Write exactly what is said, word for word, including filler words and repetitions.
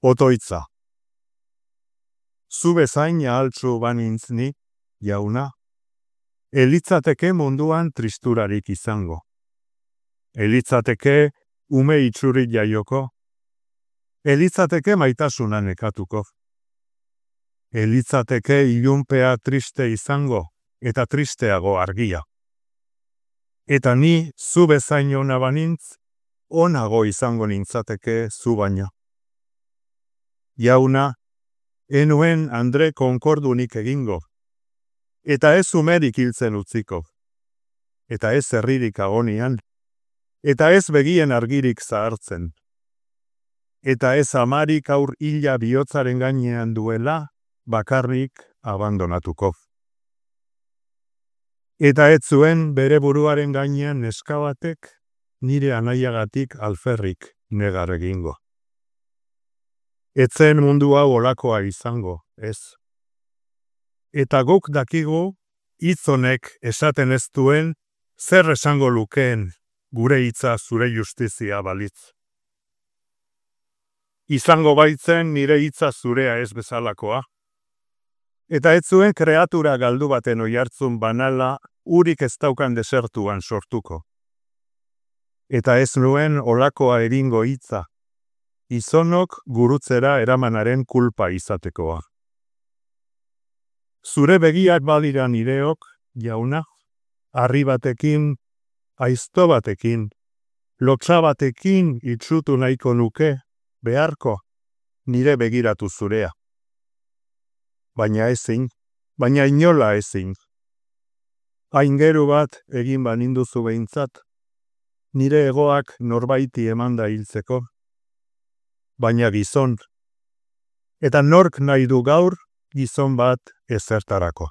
Otoitza. Zu bezain ahaltsu banintz ni, jauna, elitzateke munduan tristurarik izango. Elitzateke ume itxuri jaioko. Elitzateke maitasuna nekatuko. Elitzateke ilunpea triste izango, eta tristeago argia. Eta ni zu bezain ona banintz, onago izango nintzateke zu baino. Jauna, enuen Andre konkordunik egingo, eta ez umerik hiltzen utziko, eta ez herririk agonian, eta ez begien argirik zahartzen, eta ez amarik aur hila bihotzaren gainean duela, bakarrik abandonatuko. Eta ez zuen bere buruaren gainean neska batek nire anaiagatik alferrik negar egingo. Etzen mundu hau olakoa izango, ez. Eta guk dakigu, hitz honek esaten ez duen, zer esango lukeen gure hitza zure justizia balitz. Izango baitzen nire hitza zurea ez bezalakoa. Eta ez zuen kreatura galdu baten oihartzun banala urik ez daukan desertuan sortuko. Eta ez nuen olakoa eringo hitza, izonok gurutzera eramanaren kulpa izatekoa. Zure begiak badira nireok, jauna, harri batekin, aizto batekin, lotsa batekin itsutu nahiko nuke, beharko, nire begiratu zurea. Baina ezin, baina inola ezin. Aingeru bat egin baninduzu behintzat, nire egoak norbaiti emanda hiltzeko, baina gizon. Eta nork nahi du gaur gizon bat ezertarako.